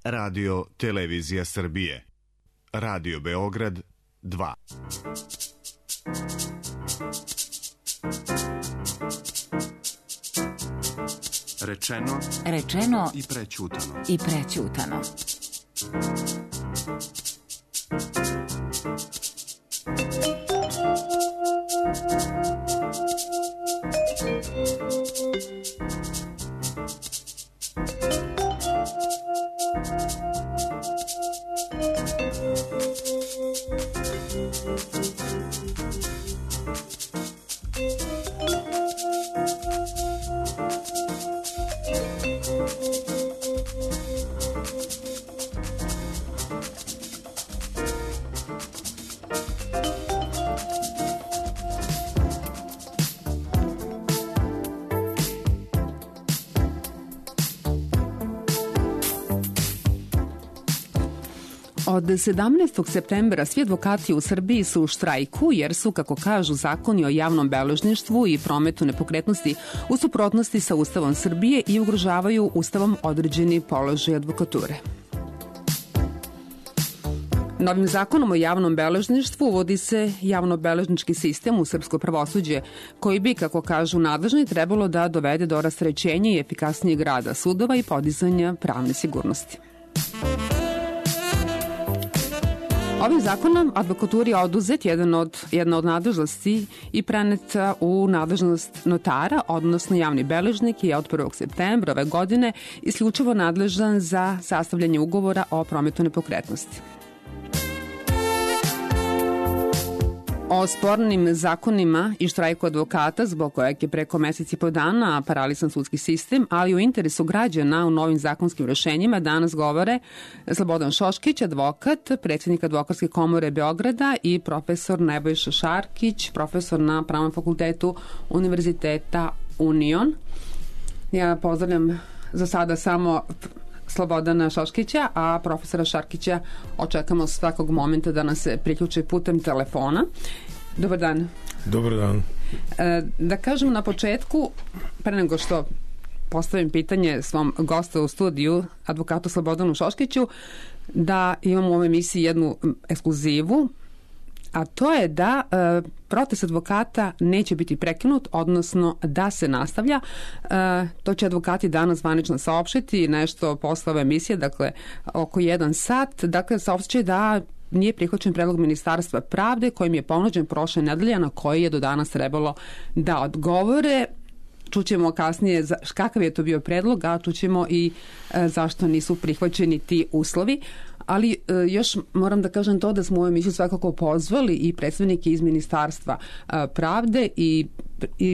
Radio Televizija Srbije. Radio Beograd 2. Rečeno i prećutano. Od 17. septembra svi advokati u Srbiji su u štrajku jer su, kako kažu, zakoni o javnom beležništvu i prometu nepokretnosti u suprotnosti sa Ustavom Srbije i ugrožavaju Ustavom određeni položaj advokature. Novim zakonom o javnom beležništvu uvodi se javno-beležnički sistem u srpsko pravosuđe, koji bi, kako kažu nadležni, trebalo da dovede do rasterećenja i efikasnijeg rada sudova i podizanja pravne sigurnosti. Ovim zakonom advokaturi je oduzet jedna od nadležnosti i preneta u nadležnost notara, odnosno javni beležnik je od 1. septembra ove godine isključivo nadležan za sastavljanje ugovora o prometu nepokretnosti. O spornim zakonima i štrajku advokata, zbog kojeg je preko mesec i po dana paralisan sudski sistem, ali u interesu građana u novim zakonskim rešenjima, danas govore Slobodan Šoškić, advokat, predsjednik Advokatske komore Beograda i profesor Nebojša Šarkić, profesor na Pravnom fakultetu Univerziteta Union. Ja pozdravljam za sada samo Slobodana Šoškića, a profesora Šarkića očekamo svakog momenta da nas se priključi putem telefona. Dobar dan. Dobar dan. Da kažem na početku, pre nego što postavim pitanje svom gostu u studiju, advokatu Slobodanu Šoškiću, da imamo u ovoj emisiji jednu ekskluzivu, a to je da protest advokata neće biti prekinut, odnosno da se nastavlja. To će advokati danas zvanično saopštiti, nešto posle ove emisije, dakle oko 1 sat. Dakle, saopštit da nije prihvaćen predlog Ministarstva pravde kojim je ponuđen prošle nedelje, na koji je do danas trebalo da odgovore. Čućemo kasnije kakav je to bio predlog, a čućemo i zašto nisu prihvaćeni ti uslovi. Ali još moram da kažem to da smo u ovoj emisiji svakako pozvali i predstavnike iz Ministarstva pravde i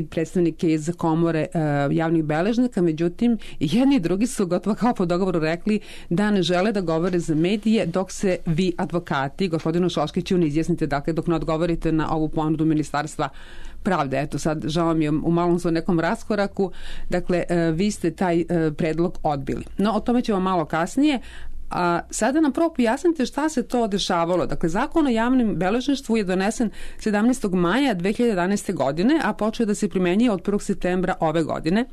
predstavnike iz komore javnih beležnika, međutim jedni i drugi su gotovo kao po dogovoru rekli da ne žele da govore za medije dok se vi advokati, gospodinu Šoškiću, ne izjasnite, dakle dok ne odgovorite na ovu ponudu Ministarstva pravde. Eto sad, žao mi je u malom svoj nekom raskoraku, dakle vi ste taj predlog odbili. No, o tome ćemo malo kasnije. A sada nam prvo pojasnite šta se to dešavalo. Dakle, zakon o javnom beležništvu je donesen 17. maja 2011. godine, a počeo da se primenjuje od 1. septembra ove godine.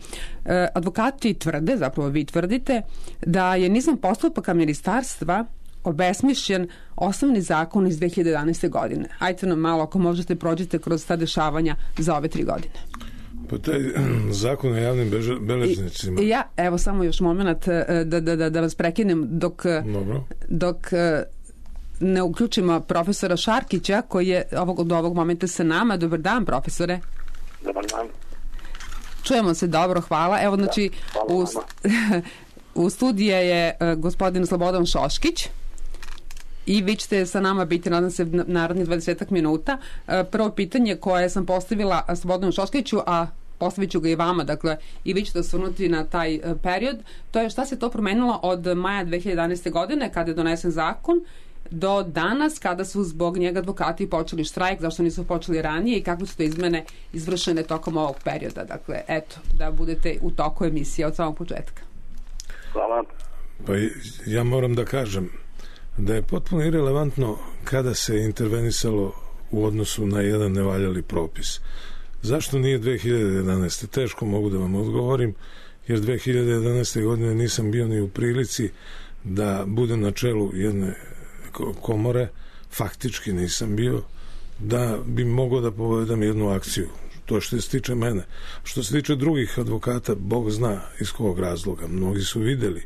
Advokati tvrde, zapravo vi tvrdite, da je nizom postupaka ministarstva obesmišljen osnovni zakon iz 2011. godine. Ajte nam malo, ako možete, prođete kroz ta dešavanja za ove 3 godine. Pa taj zakon o javnim beležnicima... Evo samo još moment da vas prekinem dok ne uključimo profesora Šarkića koji je do ovog momenta sa nama. Dobar dan, profesore. Dobar dan. Čujemo se dobro, hvala. Evo, znači, u studiju je gospodin Slobodan Šoškić i vi ćete sa nama biti, nadam se, narednih 20 minuta. Prvo pitanje koje sam postavila Slobodanu Šoškiću, a postavit ću ga i vama, dakle, i vi ćete osvrnuti na taj period, to je šta se to promenilo od maja 2011. godine kada je donesen zakon do danas kada su zbog njega advokati počeli štrajk, zašto nisu počeli ranije i kako su to izmene izvršene tokom ovog perioda. Dakle, eto, da budete u toku emisije od samog početka. Hvala. Pa ja moram da kažem da je potpuno irelevantno kada se intervenisalo u odnosu na jedan nevaljali propis. Zašto nije 2011. Teško mogu da vam odgovorim, jer 2011. godine nisam bio ni u prilici da budem na čelu jedne komore, faktički nisam bio, da bi mogao da povedam jednu akciju. To što se tiče mene. Što se tiče drugih advokata, Bog zna iz kog razloga. Mnogi su videli,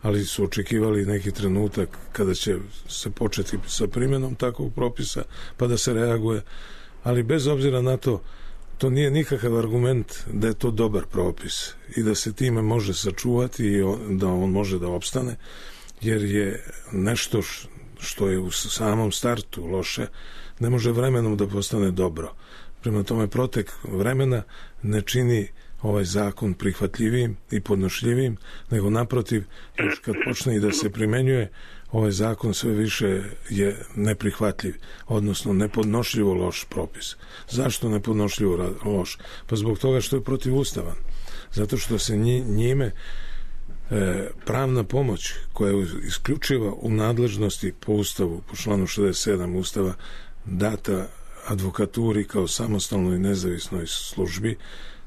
ali su očekivali neki trenutak kada će se početi sa primjenom takvog propisa, pa da se reaguje. Ali bez obzira na to, to nije nikakav argument da je to dobar propis i da se time može sačuvati i da on može da opstane, jer je nešto što je u samom startu loše, ne može vremenom da postane dobro. Prema tome, protek vremena ne čini ovaj zakon prihvatljivim i podnošljivim, nego naprotiv, još kad počne i da se primenjuje, ovaj zakon sve više je neprihvatljiv, odnosno nepodnošljivo loš propis. Zašto nepodnošljivo loš? Pa zbog toga što je protivustavan. Zato što se njime pravna pomoć koja je isključiva u nadležnosti po Ustavu, po članu 67 Ustava, data advokaturi kao samostalnoj i nezavisnoj službi,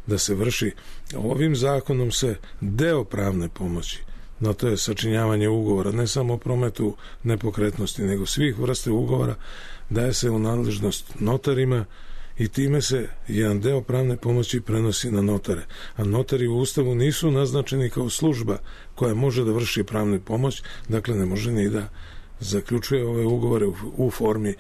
da se vrši. Ovim zakonom se deo pravne pomoći, no to je sačinjavanje ugovora, ne samo o prometu nepokretnosti, nego svih vrste ugovora, daje se u nadležnost notarima i time se jedan deo pravne pomoći prenosi na notare. A notari u Ustavu nisu naznačeni kao služba koja može da vrši pravnu pomoć, dakle ne može ni da zaključuje ove ugovore u formi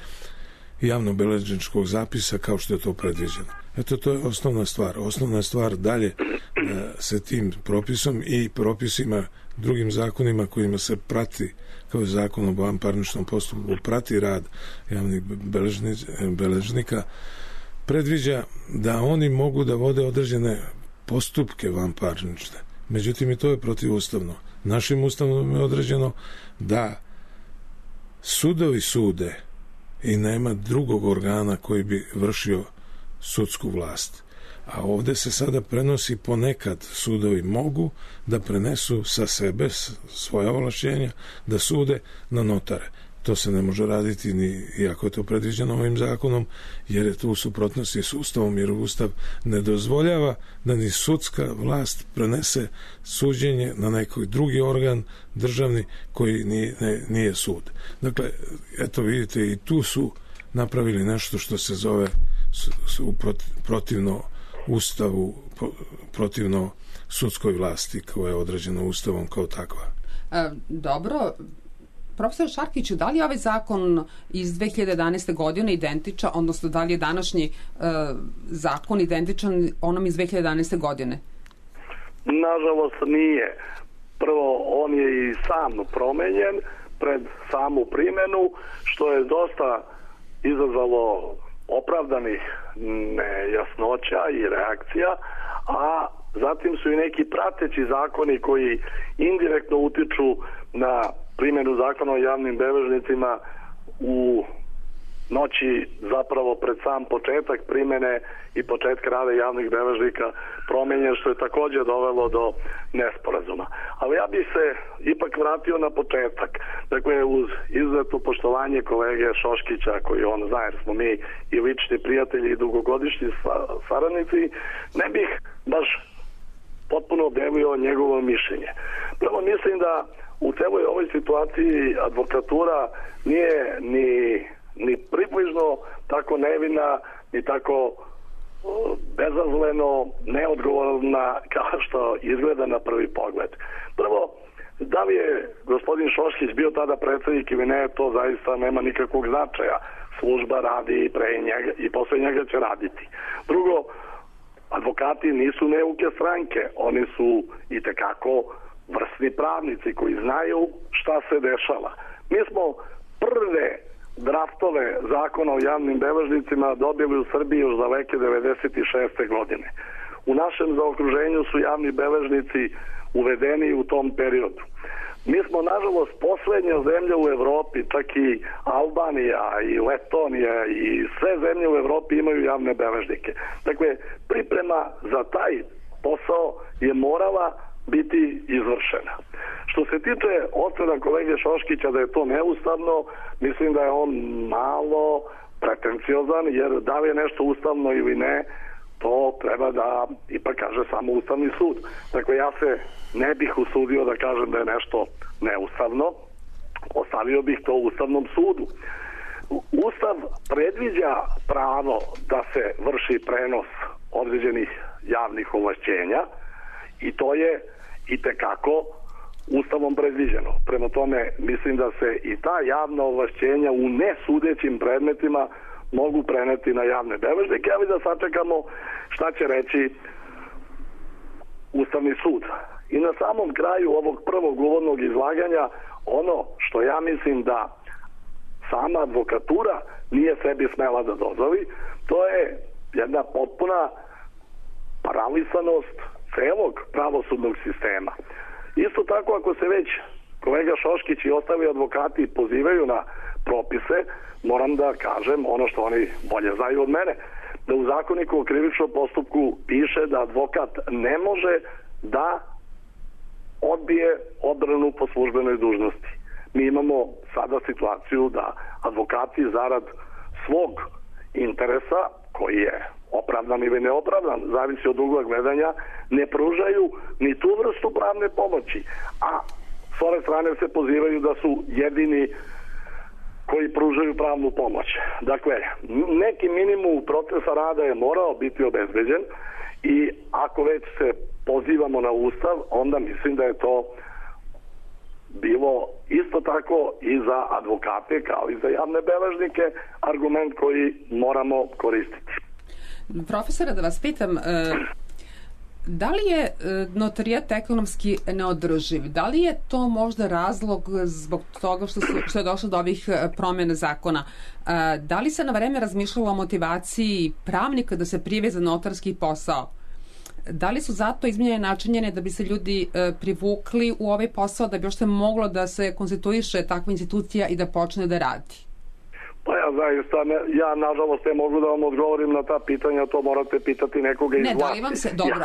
javnobeležničkog zapisa kao što je to predviđeno. Eto, to je osnovna stvar. Osnovna stvar dalje se tim propisom i propisima, drugim zakonima kojima se prati, kao je zakon o vanparničnom postupku, prati rad javnih beležnika, predviđa da oni mogu da vode određene postupke vanparnične. Međutim, i to je protivustavno. Našim ustavom je određeno da sudovi sude i nema drugog organa koji bi vršio sudsku vlast. A ovde se sada prenosi, ponekad sudovi mogu da prenesu sa sebe svoja ovlašćenja, da sude na notare. To se ne može raditi ni iako je to predviđeno ovim zakonom, jer je to u suprotnosti s Ustavom, jer Ustav ne dozvoljava da ni sudska vlast prenese suđenje na neki drugi organ državni koji nije sud. Dakle, eto vidite, i tu su napravili nešto što se zove protivno Ustavu, protivno sudskoj vlasti koja je određena Ustavom kao takva. Dobro. Profesor Šarkiću, da li je ovaj zakon iz 2011. godine identičan, odnosno da li je današnji zakon identičan onom iz 2011. godine? Nažalost nije. Prvo, on je i sam promenjen pred samu primjenu, što je dosta izazvalo opravdanih nejasnoća i reakcija, a zatim su i neki prateći zakoni koji indirektno utiču na primjenu zakona o javnim beležnicima u noći zapravo pred sam početak primjene i početka rada javnih beležnika promenjen, što je također dovelo do nesporazuma. Ali ja bih se ipak vratio na početak. Dakle, uz izuzetno poštovanje kolege Šoškića, koji on zna, jer smo mi i lični prijatelji i dugogodišnji saradnici, ne bih baš potpuno delio njegovo mišljenje. Prvo, mislim da u celoj ovoj situaciji advokatura nije ni približno tako nevina, ni tako bezazleno neodgovorna kao što izgleda na prvi pogled. Prvo, da li je gospodin Šoškić bio tada predsjednik ili ne, to zaista nema nikakvog značaja. Služba radi pre njega i posle njega će raditi. Drugo, advokati nisu neuke stranke, oni su itekako vrsni pravnici koji znaju šta se dešava. Mi smo prve draftove zakona o javnim beležnicima dobili u Srbiji još daleke 96. godine. U našem zaokruženju su javni beležnici uvedeni u tom periodu. Mi smo, nažalost, poslednja zemlja u Evropi, čak i Albanija i Letonija i sve zemlje u Evropi imaju javne beležnike. Dakle, priprema za taj posao je morala biti izvršena. Što se tiče ocena kolege Šoškića da je to neustavno, mislim da je on malo pretenciozan, jer da li je nešto ustavno ili ne, to treba da ipak kaže samo Ustavni sud. Dakle, ja se ne bih usudio da kažem da je nešto neustavno, ostavio bih to Ustavnom sudu. Ustav predviđa pravo da se vrši prenos određenih javnih ovlašćenja i to je itekako Ustavom predviđeno. Prema tome, mislim da se i ta javna ovlašćenja u nesudećim predmetima mogu preneti na javne beležnike, ali da sačekamo šta će reći Ustavni sud. I na samom kraju ovog prvog uvodnog izlaganja, ono što ja mislim da sama advokatura nije sebi smela da dozvoli, to je jedna potpuna paralisanost celog pravosudnog sistema. Isto tako, ako se već kolega Šoškić i ostali advokati pozivaju na propise, moram da kažem ono što oni bolje znaju od mene, da u Zakoniku o krivičnom postupku piše da advokat ne može da odbije odbranu po službenoj dužnosti. Mi imamo sada situaciju da advokati zarad svog interesa, koji je opravdan ili neopravdan, zavisi od ugla gledanja, ne pružaju ni tu vrstu pravne pomoći, a s ove strane se pozivaju da su jedini koji pružaju pravnu pomoć. Dakle, neki minimum procesa rada je morao biti obezbeđen i ako već se pozivamo na Ustav, onda mislim da je to bilo isto tako i za advokate kao i za javne beležnike argument koji moramo koristiti. Profesore, da vas pitam, da li je notarijat ekonomski neodrživ? Da li je to možda razlog zbog toga što je došlo do ovih promjena zakona? Da li se na vreme razmišljalo o motivaciji pravnika da se prijave za notarski posao? Da li su zato izmijenjene načinjene da bi se ljudi privukli u ovaj posao, da bi još moglo da se konstituiše takva institucija i da počne da radi? Pa ja zaista, nažalost ne mogu da vam odgovorim na ta pitanja, to morate pitati nekoga iz vlasti. Da li vam se, dobro,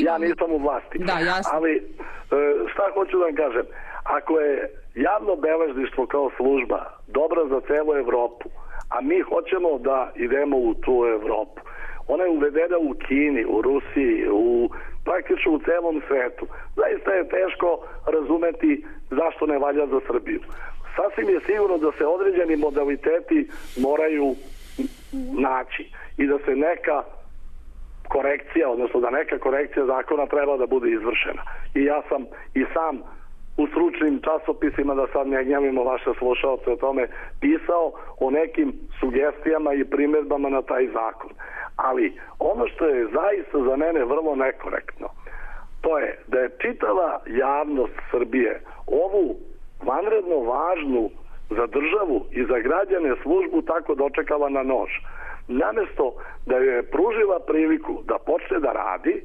ja nisam u vlasti. Da, jasno. Ali šta hoću da vam kažem, ako je javno beležništvo kao služba dobra za celu Evropu, a mi hoćemo da idemo u tu Evropu, ona je uvedena u Kini, u Rusiji, praktično u celom svetu. Zaista je teško razumeti zašto ne valja za Srbiju. Sasvim je sigurno da se određeni modaliteti moraju naći i da se neka korekcija, odnosno da neka korekcija zakona treba da bude izvršena. I ja sam i sam u stručnim časopisima, da sad ne gnjavimo vaše slušalce o tome, pisao o nekim sugestijama i primjedbama na taj zakon. Ali ono što je zaista za mene vrlo nekorektno, to je da je čitava javnost Srbije ovu vanredno važnu za državu i za građane službu tako dočekala na nož. Namesto da joj je pružila priliku da počne da radi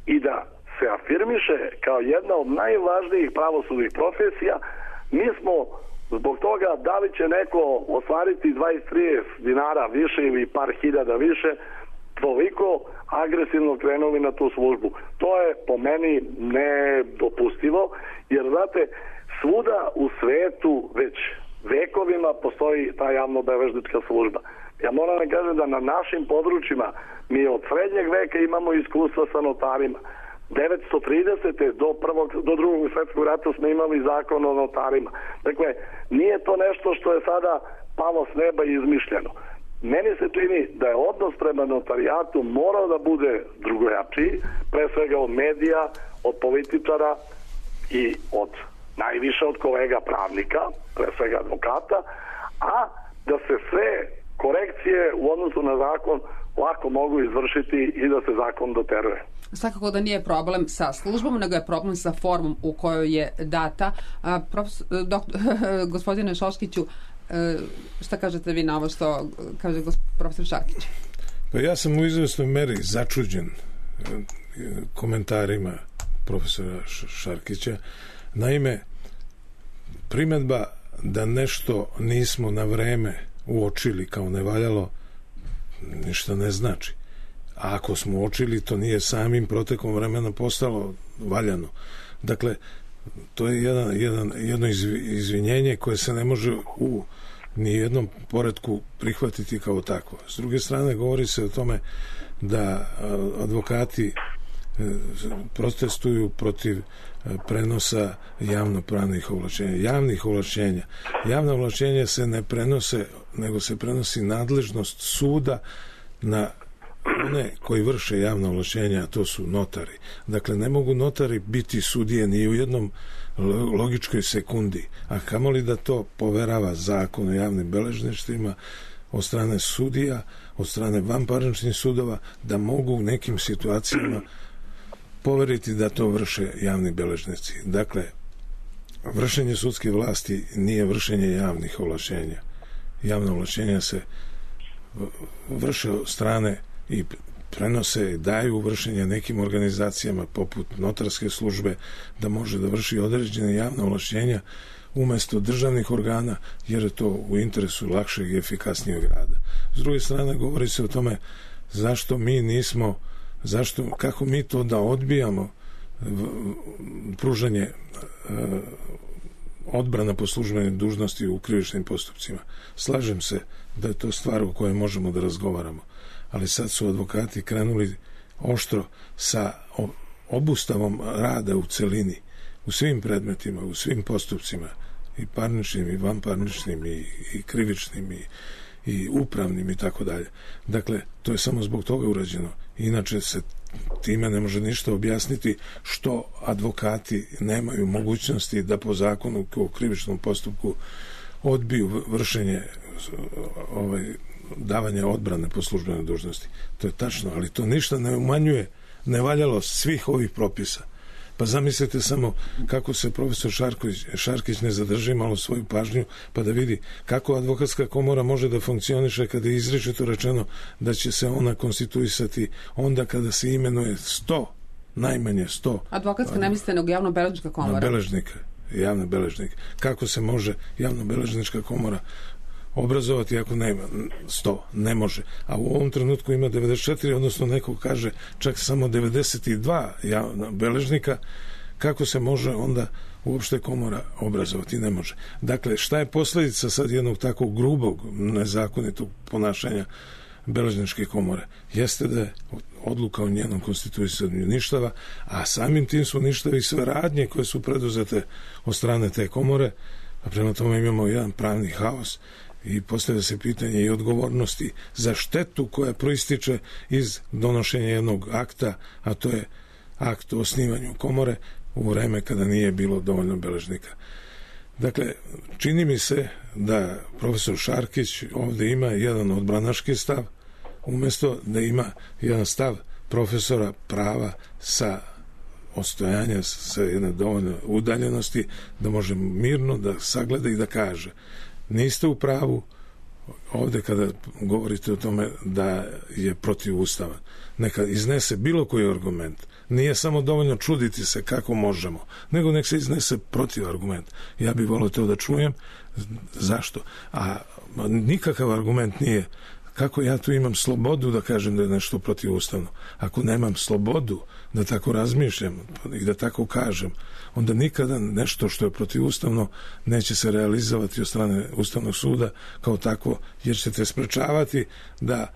i da se afirmiše kao jedna od najvažnijih pravosudnih profesija, mi smo zbog toga da li će neko ostvariti 20-30 dinara više ili par hiljada više, toliko agresivno krenuli na tu službu. To je po meni nedopustivo, jer znate, svuda u svetu već vekovima postoji ta javno-beležnička služba. Ja moram da kažem da na našim područjima mi od srednjeg veka imamo iskustva sa notarima. 930. do drugog svjetskog rata smo imali zakon o notarima. Dakle, nije to nešto što je sada palo s neba i izmišljeno. Meni se čini da je odnos prema notarijatu morao da bude drugojačiji, pre svega od medija, od političara i od najviše od kolega pravnika, pre svega advokata, a da se sve korekcije u odnosu na zakon lako mogu izvršiti i da se zakon doteruje. Svakako da nije problem sa službom, nego je problem sa formom u kojoj je data. Gospodine Šoškiću, šta kažete vi na ovo što kaže profesor Šarkić? Pa ja sam u izvesnoj meri začuđen komentarima profesora Šarkića. Naime, primjedba da nešto nismo na vreme uočili kao nevaljalo ništa ne znači. A ako smo uočili, to nije samim protekom vremena postalo valjano. Dakle, to je jedno izvinjenje koje se ne može u nijednom poretku prihvatiti kao takvo. S druge strane, govori se o tome da advokati protestuju protiv prenosa javnopravnih ovlašćenja. Javna ovlašćenja se ne prenose, nego se prenosi nadležnost suda na one koji vrše javna ovlašćenja, a to su notari. Dakle, ne mogu notari biti sudije ni u jednom logičkoj sekundi, a kamoli da to poverava zakon o javnim beležništvima od strane sudija, od strane vanparničnih sudova, da mogu u nekim situacijama poveriti da to vrše javni beležnici. Dakle, vršenje sudske vlasti nije vršenje javnih ovlašćenja. Javna ovlašćenja se vrše od strane i prenose i daju vršenje nekim organizacijama poput notarske službe da može da vrši određene javne ovlašćenja umesto državnih organa, jer je to u interesu lakšeg i efikasnijeg rada. S druge strane, govori se o tome kako mi to da odbijamo pružanje odbrana po službenoj dužnosti u krivičnim postupcima. Slažem se da je to stvar o kojoj možemo da razgovaramo, ali sad su advokati krenuli oštro sa obustavom rada u celini, u svim predmetima, u svim postupcima, i parničnim, i vanparničnim, i krivičnim, i upravnim, i tako dalje. Dakle, to je samo zbog toga urađeno. Inače se time ne može ništa objasniti što advokati nemaju mogućnosti da po zakonu o krivičnom postupku odbiju vršenje davanja odbrane po službenoj dužnosti. To je tačno, ali to ništa ne umanjuje nevaljalost svih ovih propisa. Pa zamislite samo kako se profesor Šarkić ne zadrži malo svoju pažnju pa da vidi kako advokatska komora može da funkcioniše kada je izričito rečeno da će se ona konstituisati onda kada se imenuje 100, najmanje 100. Advokatska ne mislite nego javno-beležnička komora? Javna beležnika. Kako se može javno-beležnička komora obrazovati ako nema 100? Ne može. A u ovom trenutku ima 94, odnosno neko kaže čak samo 92 javna beležnika. Kako se može onda uopšte komora obrazovati? Ne može. Dakle, šta je posljedica sad jednog takvog grubog, nezakonitog ponašanja beležničke komore? Jeste da je odluka o njenom konstituisanju ništava, a samim tim su ništavi sve radnje koje su preduzete od strane te komore, a prema tome imamo jedan pravni haos i postavlja se pitanje i odgovornosti za štetu koja proističe iz donošenja jednog akta, a to je akt o osnivanju komore u vreme kada nije bilo dovoljno beležnika. Dakle, čini mi se da profesor Šarkić ovdje ima jedan odbranaški stav, umjesto da ima jedan stav profesora prava sa odstojanja, sa jedne dovoljne udaljenosti, da može mirno da sagleda i da kaže niste u pravu ovdje kada govorite o tome da je protivustavan. Neka iznese bilo koji argument. Nije samo dovoljno čuditi se kako možemo, nego nek se iznese protiv argument. Ja bih volio to da čujem. Zašto? A nikakav argument nije kako ja tu imam slobodu da kažem da je nešto protivustavno. Ako nemam slobodu da tako razmišljam i da tako kažem, onda nikada nešto što je protivustavno neće se realizovati od strane Ustavnog suda kao takvo, jer ćete sprečavati da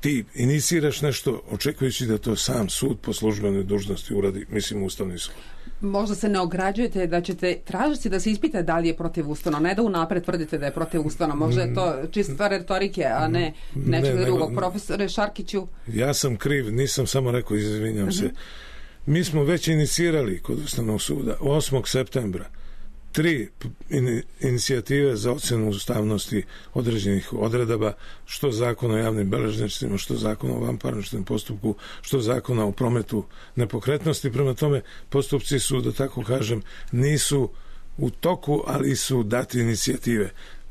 ti iniciraš nešto očekujući da to sam sud po službenoj dužnosti uradi, mislim Ustavni sud. Možda se ne ograđujete da ćete tražiti da se ispita da li je protivustavno, ne da unapred tvrdite da je protivustavno. Možda je to čista retorike, a ne nečeg drugog. Profesore Šarkiću? Ja sam kriv, nisam samo rekao, izvinjam se. Mi smo već inicirali kod Ustavnog suda 8. septembra 3 inicijative za ocjenu ustavnosti određenih odredaba, što zakona o javnim beležnicima, što zakona o vanparničnom postupku, što zakona o prometu nepokretnosti. Prema tome, postupci su, da tako kažem, nisu u toku, ali su dati inicijative.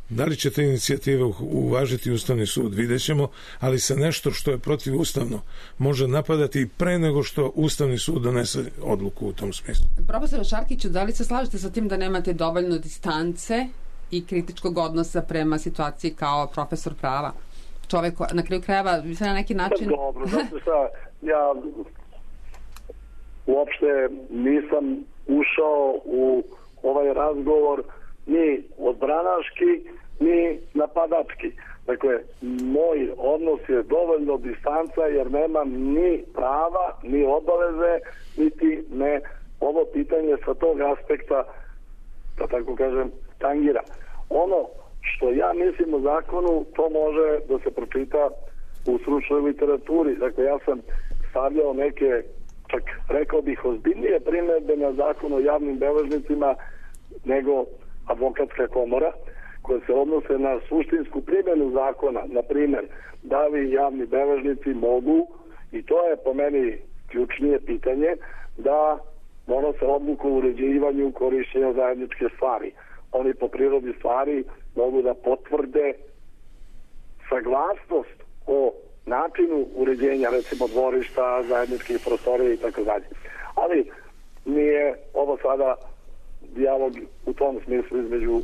Da li će te inicijative uvažiti Ustavni sud, vidjet ćemo, ali se nešto što je protivustavno može napadati i pre nego što Ustavni sud donese odluku u tom smislu. Profesor Šarkiću, da li se slažete sa tim da nemate dovoljno distance i kritičkog odnosa prema situaciji kao profesor prava? Čovjek na kraju krajeva se na neki način... Dobro, zato šta, ja uopšte nisam ušao u ovaj razgovor ni odbranaški, ni napadački. Dakle, moj odnos je dovoljno distanca jer nemam ni prava, ni obaveze, niti me ovo pitanje sa tog aspekta, da tako kažem, tangira. Ono što ja mislim o zakonu, to može da se pročita u stručnoj literaturi. Dakle, ja sam stavljao neke, čak rekao bih, ozbiljnije primedbe na zakon o javnim beležnicima nego advokatska komora, koje se odnose na suštinsku primjenu zakona. Na primjer, da li javni beležnici mogu, i to je po meni ključnije pitanje, da donose odluku o uređivanju korišćenja zajedničke stvari. Oni po prirodi stvari mogu da potvrde saglasnost o načinu uređenja, recimo dvorišta, zajedničkih prostorija i tako dalje. Ali nije ovo sada dijalog u tom smislu između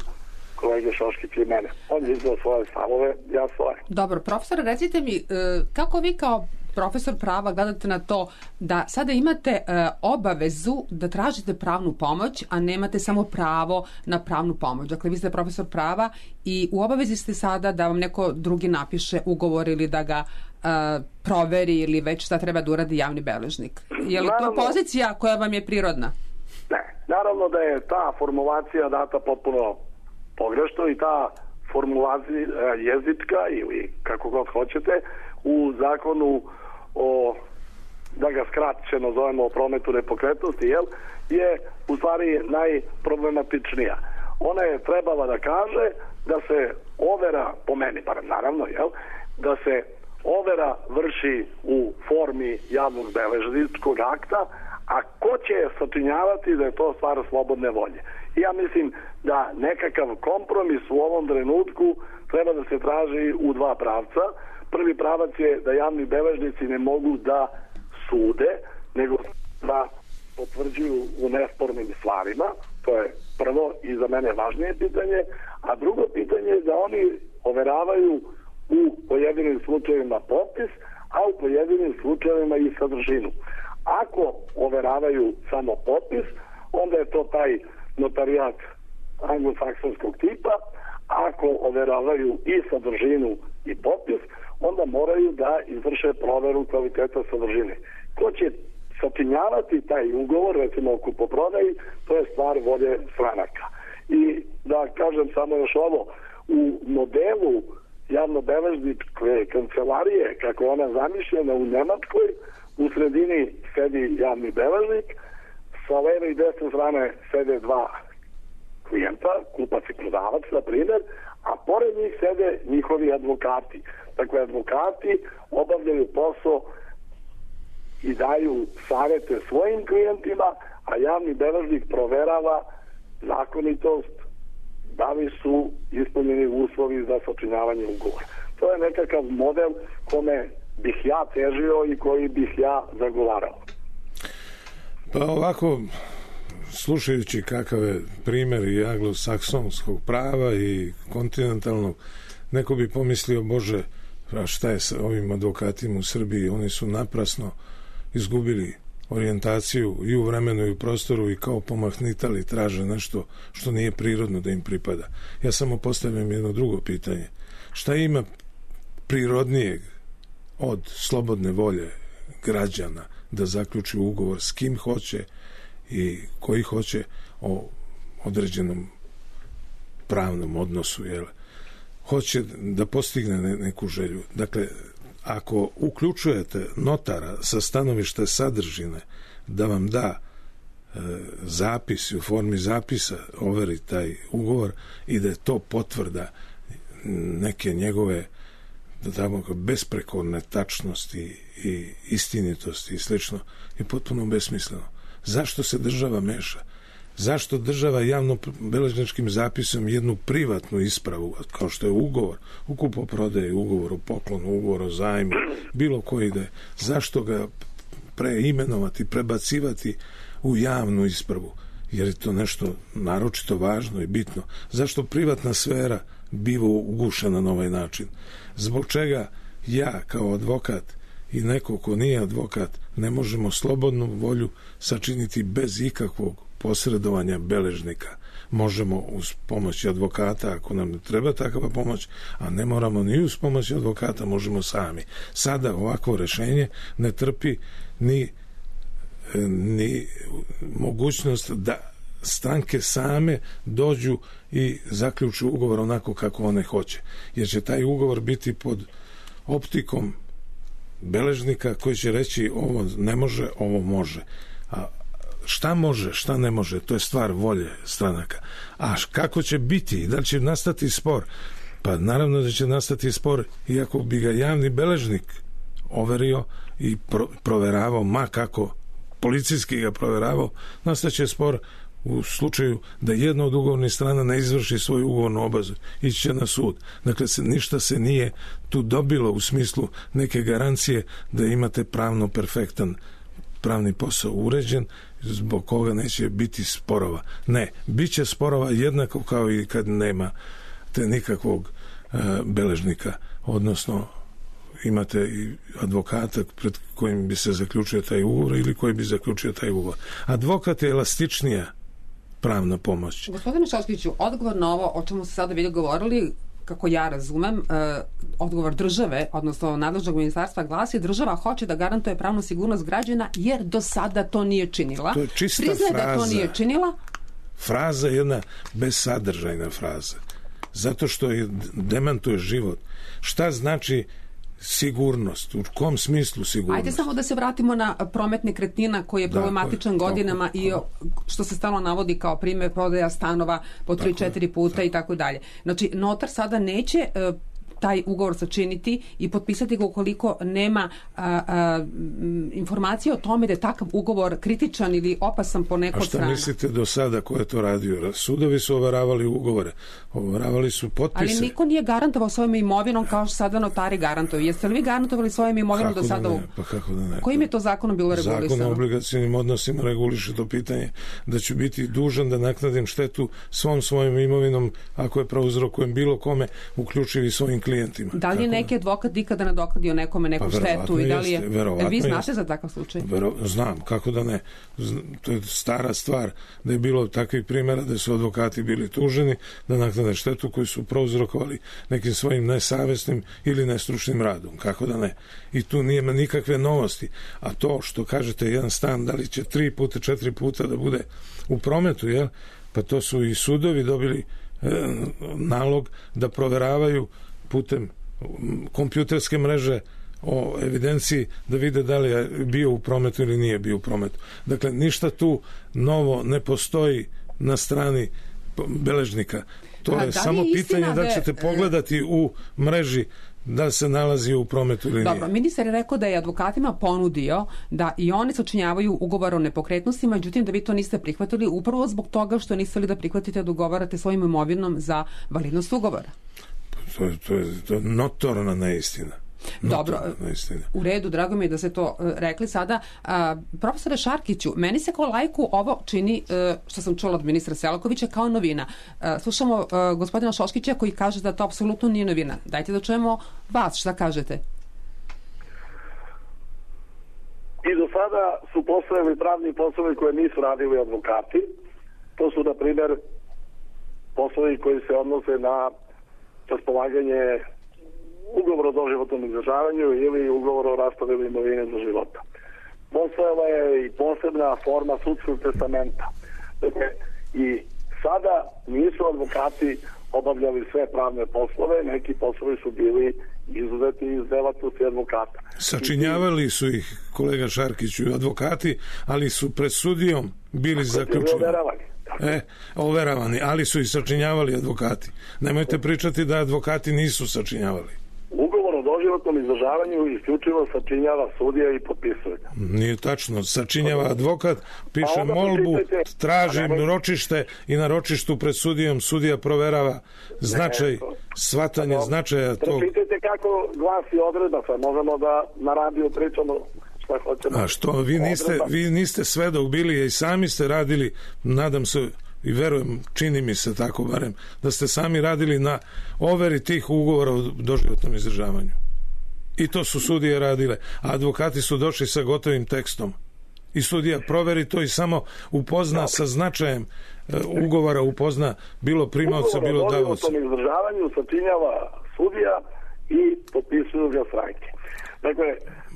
kolege Šoškića i mene. On je izdao svoje stavove, ja svoje. Dobro, profesor, recite mi, kako vi kao profesor prava gledate na to da sada imate obavezu da tražite pravnu pomoć, a nemate samo pravo na pravnu pomoć? Dakle, vi ste profesor prava i u obavezi ste sada da vam neko drugi napiše ugovor ili da ga proveri ili već šta treba da uradi javni beležnik. Je li to pozicija koja vam je prirodna? Ne, naravno da je ta formulacija data potpuno pogrešno i ta formulacija jezička ili kako god hoćete u zakonu o, da ga skraćeno zovemo, o prometu nepokretnosti, je u stvari najproblematičnija. Ona je trebala da kaže da se overa, po meni bar naravno, da se overa vrši u formi javnog beležničkog akta, a ko će je sačinjavati da je to stvar slobodne volje. I ja mislim da nekakav kompromis u ovom trenutku treba da se traži u dva pravca. Prvi pravac je da javni beležnici ne mogu da sude, nego da potvrđuju u nespornim stvarima. To je prvo i za mene važnije pitanje. A drugo pitanje je da oni overavaju u pojedinim slučajevima potpis, a u pojedinim slučajevima i sadržinu. Ako overavaju samo potpis, onda je to taj notarijat anglosaksonskog tipa. Ako overavaju i sadržinu i potpis, onda moraju da izvrše proveru kvaliteta sadržine. Ko će sačinjavati taj ugovor, recimo o kupoprodaji, to je stvar volje stranaka. I da kažem samo još ovo, u modelu javnobeležničke kancelarije, kako je ona zamišljena u Nemačkoj, u sredini sedi javni beležnik, sa leve i desne strane sede dva klijenta, kupac i prodavac, na primjer, a pored njih sede njihovi advokati. Dakle, advokati obavljaju posao i daju savjete svojim klijentima, a javni beležnik proverava zakonitost, da li su ispunjeni uslovi za sačinjavanje ugovora. To je nekakav model kome bih ja težio i koji bih ja zagovarao. Pa ovako, slušajući kakav je primjer i anglosaksonskog prava i kontinentalnog, neko bi pomislio, Bože, a šta je sa ovim advokatima u Srbiji? Oni su naprasno izgubili orijentaciju i u vremenu i u prostoru i kao pomahnitali traže nešto što nije prirodno da im pripada. Ja samo postavljam jedno drugo pitanje. Šta ima prirodnijeg od slobodne volje građana da zaključi ugovor s kim hoće i koji hoće o određenom pravnom odnosu, hoće da postigne neku želju. Dakle, ako uključujete notara sa stanovišta sadržine da vam da zapis u formi zapisa overi taj ugovor i da je to potvrda neke njegove besprekorne tačnosti i istinitosti i slično, je potpuno besmisleno. Zašto se država meša? Zašto država javno-beležničkim zapisom jednu privatnu ispravu, kao što je ugovor o kupoprodaji, ugovor o poklonu, ugovor o zajmu, bilo koji ide, zašto ga preimenovati, prebacivati u javnu ispravu? Jer je to nešto naročito važno i bitno. Zašto privatna sfera biva ugušena na ovaj način? Zbog čega ja kao advokat i neko ko nije advokat ne možemo slobodnu volju sačiniti bez ikakvog posredovanja beležnika? možemo uz pomoć advokata, ako nam ne treba takva pomoć, a ne moramo ni uz pomoć advokata, možemo sami. Sada ovakvo rešenje ne trpi ni mogućnost da stranke same dođu i zaključu ugovor onako kako one hoće. Jer će taj ugovor biti pod optikom beležnika koji će reći ovo ne može, ovo može. A šta može, šta ne može, to je stvar volje stranaka. A kako će biti, da li će nastati spor? Pa naravno da će nastati spor, iako bi ga javni beležnik overio i proveravao, ma kako policijski ga proveravao, nastaće spor u slučaju da jedna od ugovornih strana ne izvrši svoju ugovornu obavezu, ići će na sud. Dakle, ništa se nije tu dobilo u smislu neke garancije da imate pravno perfektan pravni posao uređen, zbog koga neće biti sporova. Ne, bit će sporova jednako kao i kad nema te nikakvog beležnika, odnosno imate i advokata pred kojim bi se zaključio taj ugovor ili koji bi zaključio taj ugovor. Advokat je elastičnija pravna pomoć. Gospodine Šoškiću, odgovor na ovo o čemu ste sada bili govorili, kako ja razumem, odgovor države, odnosno nadležnog ministarstva glasi: država hoće da garantuje pravnu sigurnost građana jer do sada to nije činila. To je čista Priznaje fraza. Da to nije činila. Fraza je jedna bezsadržajna fraza. Zato što je demantuje život. Šta znači sigurnost? U kom smislu sigurnost? Ajde samo da se vratimo na promet nekretnina koji je problematičan godinama i što se stalno navodi kao primjer prodaja stanova po 3-4 puta i tako dalje. Znači, notar sada neće taj ugovor sačiniti i potpisati ga ukoliko nema informacije o tome da je takav ugovor kritičan ili opasan po nekoj strana. A šta mislite do sada ko je to radio? Sudovi su overavali ugovore, overavali su potpise. Ali niko nije garantovao svojom imovinom kao što sada notari garantuju. Jeste li vi garantovali svojom imovinom do sada? Pa kako da ne? Kojim je to zakonom bilo regulisano? Zakon o obligacionim odnosima reguliše to pitanje da ću biti dužan da naknadim štetu svom svojom imovinom ako je prouzrokujem bilo kome, uključivi svojim klijentima. Da li je neki advokat ikada nadoknadio nekome neku štetu i da li je... Vi znate za takav slučaj? Znam, kako da ne. To je stara stvar da je bilo takvih primjera da su advokati bili tuženi da naknade štetu koju su prouzrokovali nekim svojim nesavesnim ili nestručnim radom. Kako da ne. I tu nije nikakve novosti. A to što kažete jedan stan, da li će 3 puta, 4 puta da bude u prometu, jel? Pa to su i sudovi dobili nalog da proveravaju putem kompjuterske mreže o evidenciji da vide da li je bio u prometu ili nije bio u prometu. Dakle, ništa tu novo ne postoji na strani beležnika. To je samo pitanje da ćete pogledati u mreži da se nalazi u prometu ili nije. Dobro, ministar je rekao da je advokatima ponudio da i oni sačinjavaju ugovor o nepokretnostima, međutim da vi to niste prihvatili upravo zbog toga što niste li da prihvatite da ugovarate svojim imovinom za validnost ugovora. To je notorna neistina. Dobro, u redu, drago mi je da ste to rekli sada. Profesore Šarkiću, meni se kao laiku ovo čini, što sam čula od ministra Selakovića, kao novina. Slušamo gospodina Šoškića koji kaže da to apsolutno nije novina. Dajte da čujemo vas, šta kažete? I do sada su postojali pravni poslovi koje nisu radili advokati. To su, na primjer, poslovi koji se odnose na raspolaganje ugovor o doživotnom izdržavanju ili ugovor o raspodeli imovine za života. Postojala je i posebna forma sudskog testamenta. Dakle, i sada nisu advokati obavljali sve pravne poslove, neki poslovi su bili izuzeti iz delatnosti advokata. Sačinjavali su ih, kolega Šarkiću, advokati, ali su pred sudijom bili zaključeni. Overavani, ali su i sačinjavali advokati. Nemojte pričati da advokati nisu sačinjavali. Ugovor o doživotnom izdržavanju isključivo sačinjava sudija i potpisuje. Nije tačno. Sačinjava advokat, piše molbu, traži ročište i na ročištu pred sudijom sudija proverava značaj, shvatanje značaja tog. Pročitajte kako glasi odredba, sad možemo da na radiju pričamo šta hoćemo. A što, vi niste svedok bili, i sami ste radili, nadam se, i verujem, čini mi se tako barem, da ste sami radili na overi tih ugovora o doživotnom izdržavanju. I to su sudije radile. A advokati su došli sa gotovim tekstom. I sudija proveri to i samo upozna sa značajem ugovora upozna bilo primaoca, bilo davaoca. Ugovor o izdržavanju sačinjava sudija i potpisuju ga stranke. Dakle,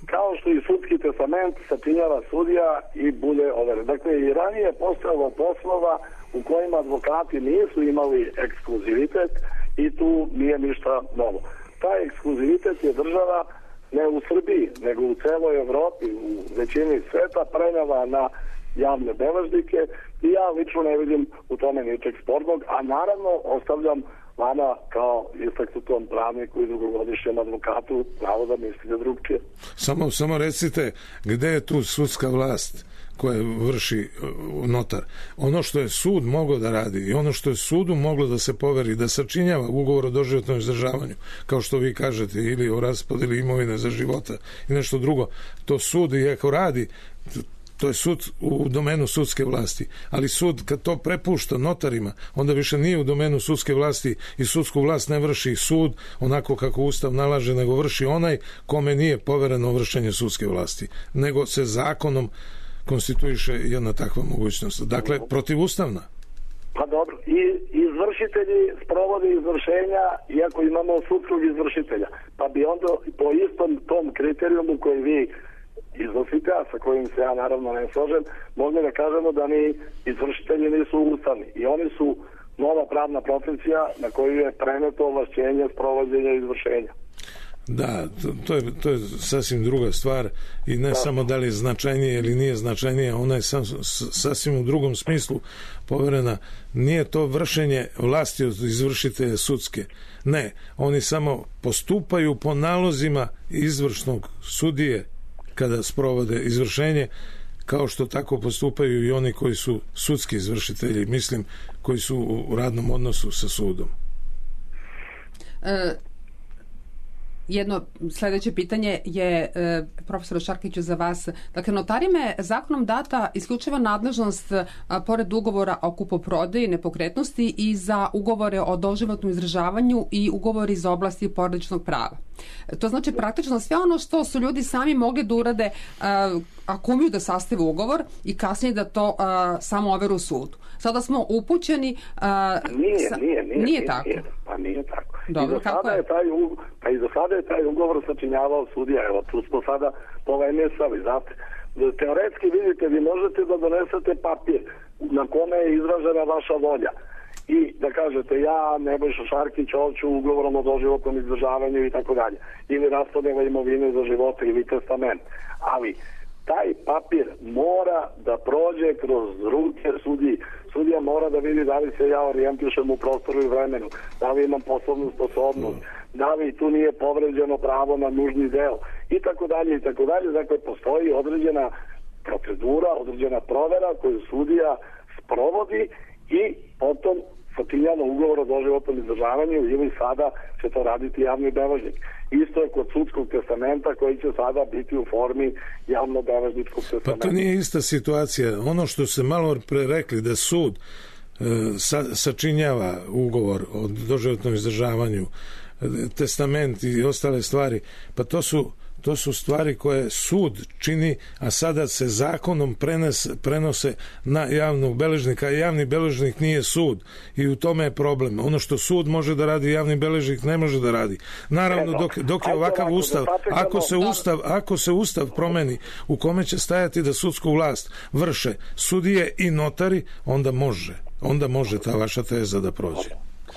kao što i sudski testament sačinjava sudija i bude overen. Dakle, i ranije je postojalo poslova u kojima advokati nisu imali ekskluzivitet i tu nije ništa novo. Taj ekskluzivitet je država ne u Srbiji, nego u celoj Evropi, u većini sveta prenela na javne beležnike i ja lično ne vidim u tome ničeg spornog, a naravno ostavljam vama kao istaknutom pravniku i dugogodišnjem advokatu pravo da mislite drugčije. Samo recite gde je tu sudska vlast koja vrši notar. Ono što je sud mogao da radi i ono što je sudu moglo da se poveri, da sačinjava ugovor o doživotnom izdržavanju, kao što vi kažete, ili o raspodeli imovine za života i nešto drugo, to sud i ako radi, to je sud u domenu sudske vlasti, ali sud kad to prepušta notarima, onda više nije u domenu sudske vlasti i sudsku vlast ne vrši sud onako kako Ustav nalaže, nego vrši onaj kome nije povereno vršenje sudske vlasti, nego se zakonom konstituiše jedna takva mogućnost. Dakle, protivustavna. Pa dobro, i izvršitelji sprovode izvršenja iako imamo sudskog izvršitelja, pa bi onda po istom tom kriterijumu koji vi iznosite, a sa kojim se ja naravno ne složem, mogli da kažemo da ni izvršitelji nisu ustavni i oni su nova pravna profesija na koju je preneto ovlašćenje sprovođenja izvršenja. Da, to je sasvim druga stvar i ne samo da li je značajnije ili nije značajnije, ona je sasvim u drugom smislu poverena. Nije to vršenje vlasti od izvršitelja sudske. Ne, oni samo postupaju po nalozima izvršnog sudije kada sprovode izvršenje, kao što tako postupaju i oni koji su sudski izvršitelji, mislim, koji su u radnom odnosu sa sudom. Jedno sledeće pitanje je, profesor Šarkiću, za vas. Dakle, notarima je zakonom data isključiva nadležnost pored ugovora o kupoprodaji nepokretnosti i za ugovore o doživotnom izdržavanju i ugovori iz oblasti porodičnog prava. To znači praktično sve ono što su ljudi sami mogli da urade ako umiju da sastave ugovor i kasnije da to samo overu u sudu. Sada smo upućeni... Nije tako. Pa nije tako. Dobro, kako je? I do sada je taj ugovor sačinjavao sudija. Evo, tu smo sada polemesali, znate. Teoretski, vidite, vi možete da donesete papir na kome je izražena vaša volja i da kažete ja, Nebojša Šarkić, hoću ugovorom o doživotnom izdržavanju i tako dalje. Ili raspodela imovine za života ili testament. Ali taj papir mora da prođe kroz ruke sudiji. Sudija mora da vidi da li se ja orijentišem u prostoru i vremenu, da li imam poslovnu sposobnost, da li tu nije povređeno pravo na nužni deo i tako dalje i tako dalje. Dakle, postoji određena procedura, određena provera koju sudija sprovodi i potom sačinjava ugovor o doživotnom izdržavanju ili sada će to raditi javni beležnik. Isto je kod sudskog testamenta koji će sada biti u formi javno-beležničkog testamenta. Pa to nije ista situacija. Ono što se malo pre rekli da sud sačinjava ugovor o doživotnom izdržavanju, testament i ostale stvari, pa to su stvari koje sud čini, a sada se zakonom prenose na javnog beležnika, a javni beležnik nije sud i u tome je problem. Ono što sud može da radi, javni beležnik ne može da radi. Naravno, dok je ovakav ustav, ako se ustav promeni u kome će stajati da sudsku vlast vrše sudije i notari, onda može ta vaša teza da prođe.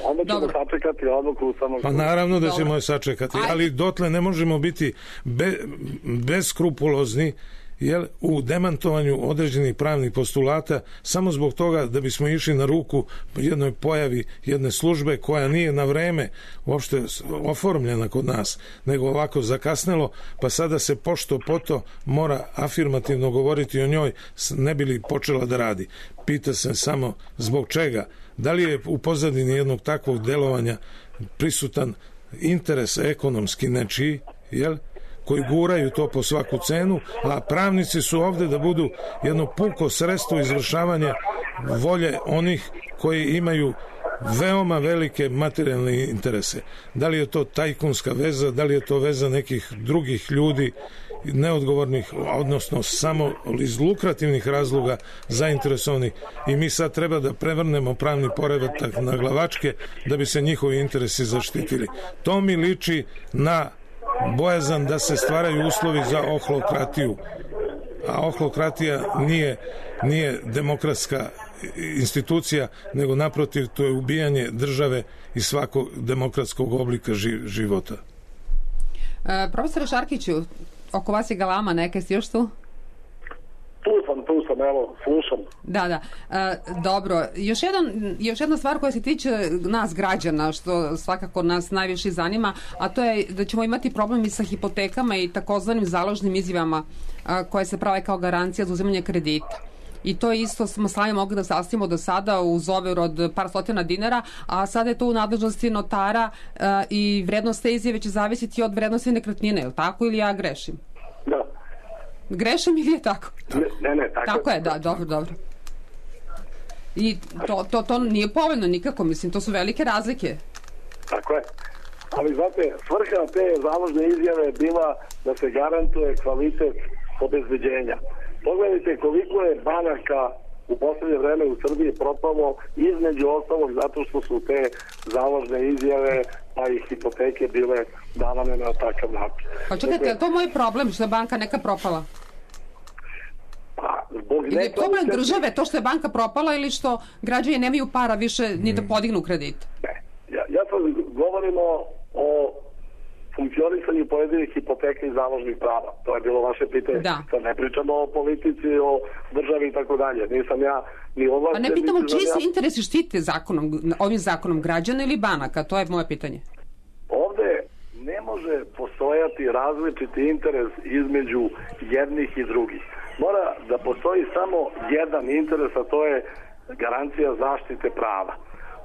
Onda ćemo sačekati odluku Ustavnog suda. Pa naravno da ćemo je sačekati, ali dotle ne možemo biti beskrupulozni u demantovanju određenih pravnih postulata samo zbog toga da bismo išli na ruku jednoj pojavi jedne službe koja nije na vreme uopšte oformljena kod nas, nego ovako zakasnelo, pa sada se pošto poto mora afirmativno govoriti o njoj, ne bi li počela da radi. Pita se samo zbog čega. Da li je u pozadini jednog takvog delovanja prisutan interes ekonomski nečiji, koji guraju to po svaku cenu, a pravnici su ovde da budu jedno puko sredstvo izvršavanja volje onih koji imaju veoma velike materijalne interese. Da li je to tajkunska veza, da li je to veza nekih drugih ljudi neodgovornih, odnosno samo iz lukrativnih razloga zainteresovani i mi sad treba da prevrnemo pravni poredak na glavačke da bi se njihovi interesi zaštitili. To mi liči na bojazan da se stvaraju uslovi za ohlokratiju, a ohlokratija nije demokratska institucija, nego naprotiv to je ubijanje države i svakog demokratskog oblika života. Profesore Šarkiću, oko vas je galama neka, jeste još tu? Tu sam, evo, slušam. Da. Dobro, još jedna stvar koja se tiče nas građana, što svakako nas najviše zanima, a to je da ćemo imati problem i sa hipotekama i takozvanim založnim izjavama koje se prave kao garancija za uzimanje kredita. I to isto smo sami mogli da sastavimo do sada uz overu od par stotina dinara, a sada je to u nadležnosti notara i vrednost te izjave će zavisiti od vrednosti nekretnine, je li tako ili ja grešim? Da. Grešim ili je tako? Ne, tako je, da, dobro. I to nije povoljno nikako, mislim, to su velike razlike. Tako je. Ali znate, svrha te založne izjave je bila da se garantuje kvalitet obezbeđenja. Pogledajte koliko je banaka u poslednje vreme u Srbiji propalo, između ostalog zato što su te založne izjave pa i hipoteke bile davane na takav način. Pa čekajte, je to moj problem što je banka neka propala? Ili je problem države to što je banka propala ili što građani nemaju para više ni da podignu kredit? Ne, ja sad govorimo o funkcionisanju pojedinih hipoteka i založnih prava. To je bilo vaše pitanje. Da. Sad ne pričamo o politici, o državi i tako dalje. Nisam ja ni ovlašćen. Pa ne pitamo čiji se interesi štite ovim zakonom, građana ili banaka? To je moje pitanje. Ovde ne može postojati različiti interes između jednih i drugih. Mora da postoji samo jedan interes, a to je garancija zaštite prava.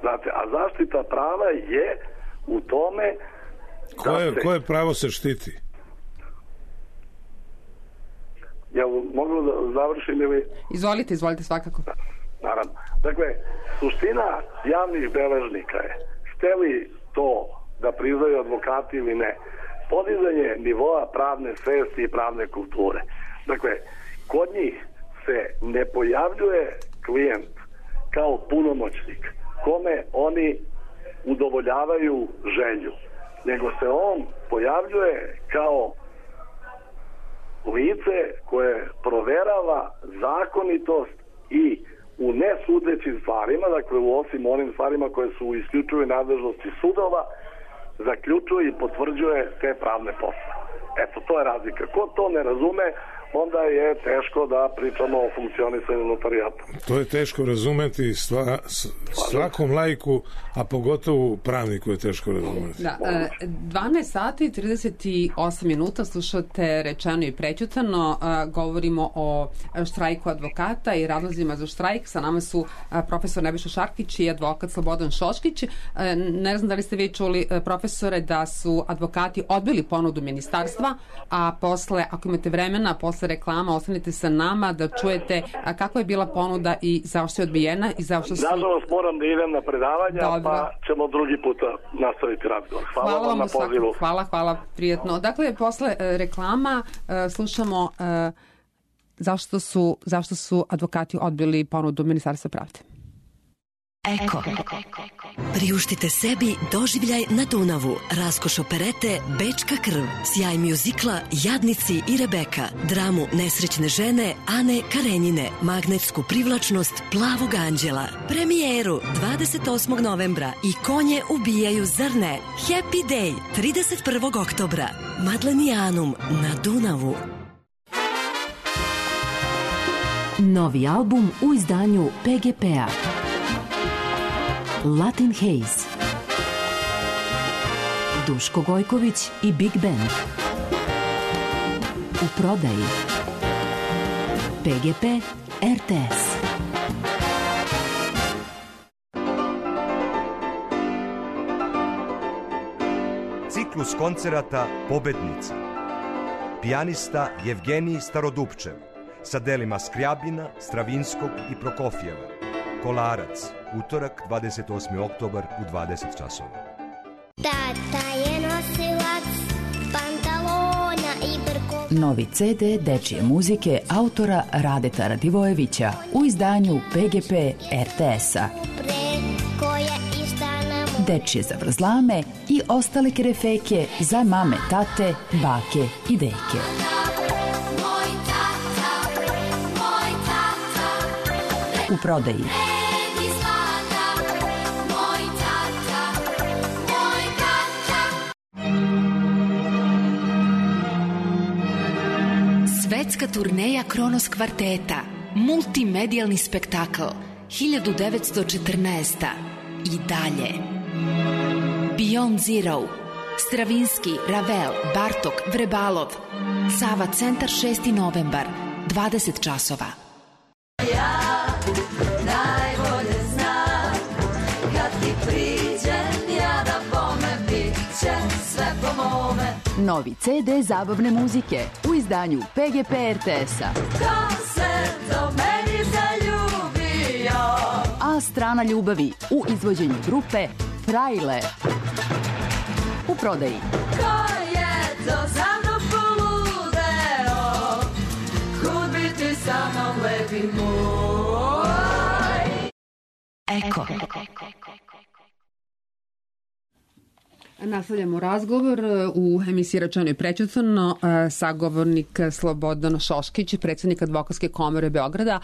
Znate, a zaštita prava je u tome Koje pravo se štiti? Ja mogu da završim ili... Izvolite svakako. Naravno. Dakle, suština javnih beležnika je, hteli to da priznaju advokati ili ne, podizanje nivoa pravne svesti i pravne kulture. Dakle, kod njih se ne pojavljuje klijent kao punomoćnik kome oni udovoljavaju želju, nego se on pojavljuje kao lice koje proverava zakonitost i u nesudećim stvarima, dakle u osim onim stvarima koje su u isključivoj nadležnosti sudova, zaključuje i potvrđuje te pravne posle. Eto, to je razlika. Ko to ne razume, onda je teško da pričamo o funkcionisanju notarijata. To je teško razumeti svakom laiku, a pogotovo pravniku je teško razumeti. Da, 12 sati 38 minuta slušate Rečeno i prećutano. Govorimo o štrajku advokata i razlozima za štrajk. Sa nama su profesor Nebojša Šarkić i advokat Slobodan Šoškić. Ne znam da li ste vi čuli, profesore, da su advokati odbili ponudu ministarstva, a posle, ako imate vremena, posle reklama, ostanite sa nama da čujete kakva je bila ponuda i zašto je odbijena i zašto su... Nažalost, moram da idem na predavanja, pa ćemo drugi puta nastaviti razgovor. Hvala vam na pozivu. Hvala, prijetno. Dakle, posle reklama slušamo zašto su advokati odbili ponudu Ministarstva pravde. Eko. Priuštite sebi doživljaj na Dunavu, raskoš operete Bečka krv, sjaj mjuzikla Jadnici i Rebeka, dramu Nesrećne žene Ane Karenjine, magnetsku privlačnost Plavog anđela, premijeru 28. novembra i Konje ubijaju zrne, Happy Day 31. oktobra, Madlenijanum na Dunavu. Novi album u izdanju PGP-a. Latin Haze, Duško Gojković i Big Band. U prodaji PGP RTS. Ciklus koncerata Pobednici. Pijanista Jevgenij Starodupčev sa delima Skrjabina, Stravinskog i Prokofjeva. Kolarac, utorak 28. oktobar u 20 časova. Tata je nosilac pantalona Novi CD dečije muzike autora Radeta Radivojevića u izdanju PGP RTS-a. Dečije zavrzlame i ostale kerefeke za mame, tate, bake i deke. U prodaji. Svetska turneja Kronos kvarteta, multimedijalni spektakl, 1914. I dalje. Beyond Zero, Stravinski, Ravel, Bartok, Vrebalov, Sava centar 6. novembar, 20 časova. Ja najbolje znam, kad ti priđem, ja da bome, bit će sve po mome. Novi CD zabavne muzike u izdanju PGP RTS-a. Ko se do meni zaljubio? A strana ljubavi u izvođenju grupe Frajle. U prodaji. Ko je to za mnom poludeo? Kud bi ti sa mnom lepi moj? Eko. Nastavljamo razgovor u emisiji Rečeno i prećutno. Sagovornik Slobodan Šoškić, predsjednik Advokatske komore Beograda.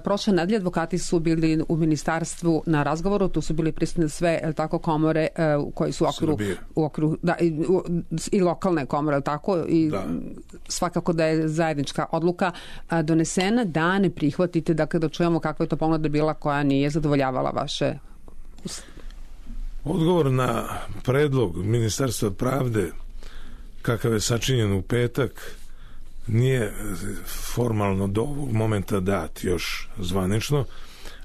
Prošle nedelje advokati su bili u ministarstvu na razgovoru, tu su bili prisutne sve tako komore koji su u okviru da, i lokalne komore, tako i da. Svakako da je zajednička odluka donesena da ne prihvatite, dakle da čujemo kakva je to ponuda bila koja nije zadovoljavala vaše. Odgovor na predlog Ministarstva pravde kakav je sačinjen u petak nije formalno do ovog momenta dat još zvanično,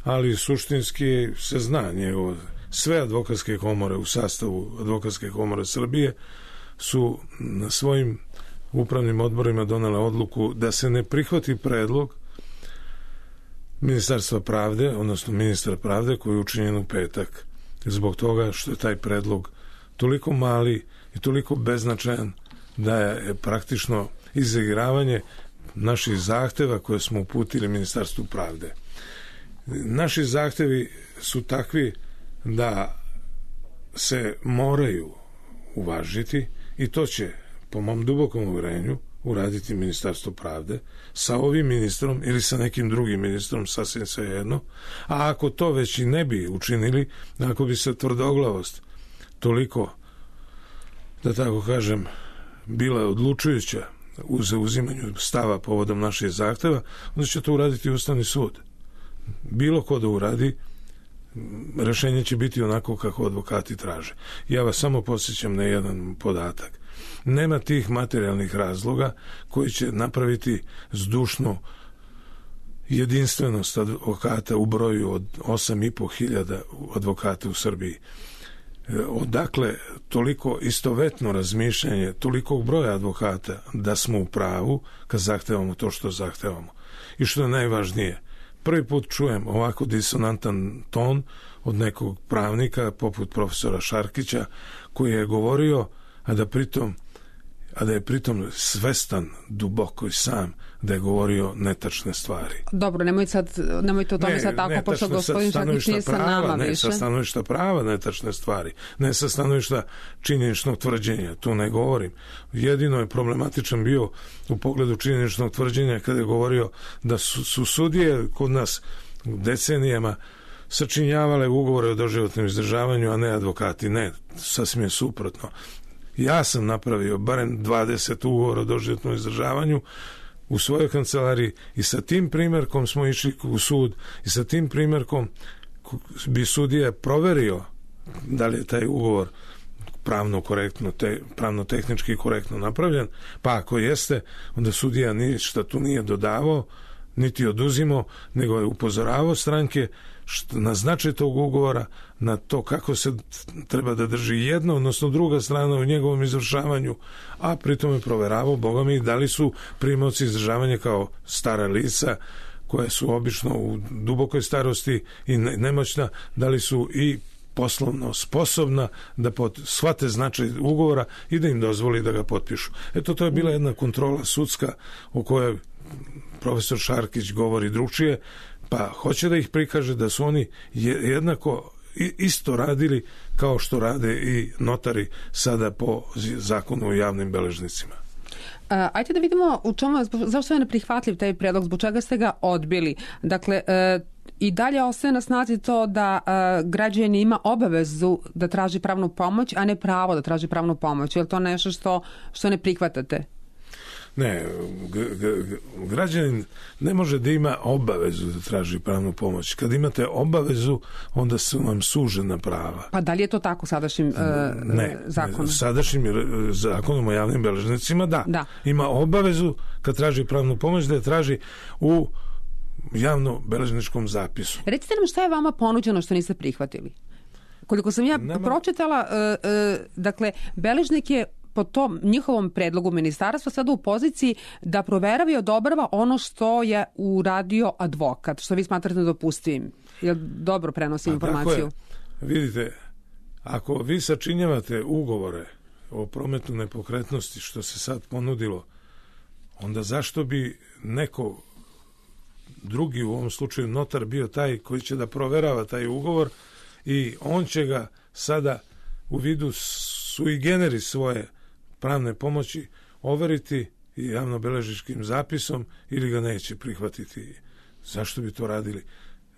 ali suštinski se zna njegovo. Sve advokatske komore u sastavu Advokatske komore Srbije su na svojim upravnim odborima donele odluku da se ne prihvati predlog Ministarstva pravde, odnosno ministra pravde koji je učinjen u petak, zbog toga što je taj predlog toliko mali i toliko beznačajan da je praktično izigravanje naših zahteva koje smo uputili Ministarstvu pravde. Naši zahtevi su takvi da se moraju uvažiti i to će, po mom dubokom uvjerenju, uraditi Ministarstvo pravde sa ovim ministrom ili sa nekim drugim ministrom, sasvim svejedno. A ako to već i ne bi učinili, ako bi se tvrdoglavost toliko, da tako kažem, bila odlučujuća u zauzimanju stava povodom naših zahteva, onda će to uraditi Ustavni sud. Bilo ko da uradi, rešenje će biti onako kako advokati traže. Ja vas samo podsjećam na jedan podatak. Nema tih materijalnih razloga koji će napraviti zdušnu jedinstvenost advokata u broju od 8.500 advokata u Srbiji. Odakle toliko istovetno razmišljanje tolikog broja advokata da smo u pravu kad zahtevamo to što zahtevamo. I što je najvažnije, prvi put čujem ovako disonantan ton od nekog pravnika poput profesora Šarkića koji je govorio, a da je pritom svestan duboko i sam da je govorio netačne stvari. Dobro, nemojte o tome sad tako, pošto gospodin Šarkić nije sa nama više. Ne sa stanovišta prava netačne stvari, ne sa stanovišta činjeničnog tvrđenja, tu ne govorim. Jedino je problematičan bio u pogledu činjeničnog tvrđenja kada je govorio da su sudije kod nas decenijama sačinjavale ugovore o doživotnom izdržavanju, a ne advokati. Ne, sasvim je suprotno. Ja sam napravio barem 20 ugovora o doživotnom izdržavanju u svojoj kancelariji i sa tim primjerkom smo išli u sud i sa tim primjerkom bi sudija proverio da li je taj ugovor pravno korektno, pravno-tehnički korektno napravljen, pa ako jeste, onda sudija ništa tu nije dodavao, niti oduzimao, nego je upozoravao stranke na značaj tog ugovora, na to kako se treba da drži jedna, odnosno druga strana u njegovom izvršavanju, a pritom je proveravao, Boga mi, da li su primaoci izdržavanja kao stara lica, koje su obično u dubokoj starosti i nemoćna, da li su i poslovno sposobna da shvate značaj ugovora i da im dozvoli da ga potpišu. Eto, to je bila jedna kontrola sudska o kojoj profesor Šarkić govori drugčije, pa hoće da ih prikaže da su oni jednako isto radili kao što rade i notari sada po zakonu o javnim beležnicima. Ajde da vidimo u čemu, zašto je neprihvatljiv taj predlog, zbog čega ste ga odbili. Dakle, i dalje ostaje na snazi to da građanin ima obavezu da traži pravnu pomoć, a ne pravo da traži pravnu pomoć. Je li to nešto što ne prihvatate? Ne, građanin ne može da ima obavezu da traži pravnu pomoć. Kad imate obavezu, onda su vam sužena prava. Pa da li je to tako sadašnjim zakonom? Sadašnjim zakonom o javnim beležnicima, da. Ima obavezu kad traži pravnu pomoć da je traži u javno-beležničkom zapisu. Recite nam šta je vama ponuđeno što niste prihvatili? Koliko sam ja pročitala, dakle, beležnik je po tom njihovom predlogu ministarstva sada u poziciji da proverava i odobrava ono što je uradio advokat, što vi smatrate nedopustivim. Jel dobro prenosi informaciju? Vidite, ako vi sačinjavate ugovore o prometu nepokretnosti što se sad ponudilo, onda zašto bi neko drugi, u ovom slučaju notar, bio taj koji će da proverava taj ugovor i on će ga sada u vidu sui generis svoje pravne pomoći overiti i javnobeležničkim zapisom ili ga neće prihvatiti. Zašto bi to radili?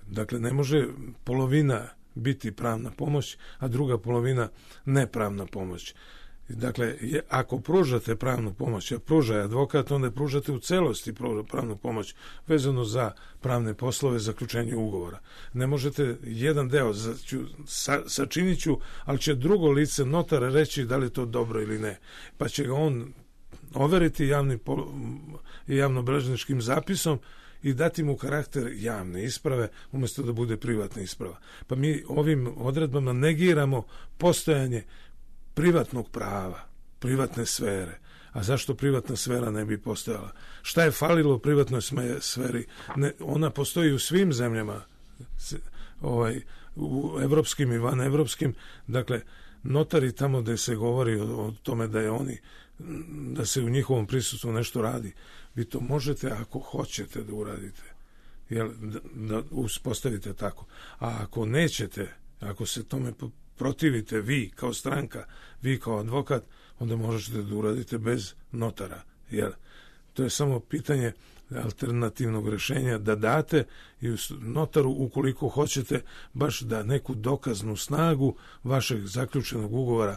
Dakle, ne može polovina biti pravna pomoć, a druga polovina nepravna pomoć. Dakle, ako pružate pravnu pomoć, a pruža advokat, onda pružate u celosti pravnu pomoć vezano za pravne poslove, zaključenje ugovora. Ne možete jedan deo sačinit ću, ali će drugo lice notara reći da li je to dobro ili ne. Pa će ga on overiti javnobeležničkim zapisom i dati mu karakter javne isprave umjesto da bude privatna isprava. Pa mi ovim odredbama negiramo postojanje privatnog prava, privatne sfere. A zašto privatna sfera ne bi postojala? Šta je falilo u privatnoj sferi? Ona postoji u svim zemljama, u evropskim i vanevropskim. Dakle, notari tamo gde se govori o tome da se u njihovom prisustvu nešto radi, vi to možete ako hoćete da uradite. Da uspostavite tako. A ako nećete, ako se tome protivite vi kao stranka, vi kao advokat, onda možete da uradite bez notara. Jer to je samo pitanje alternativnog rešenja da date i notaru, ukoliko hoćete baš da neku dokaznu snagu vašeg zaključenog ugovora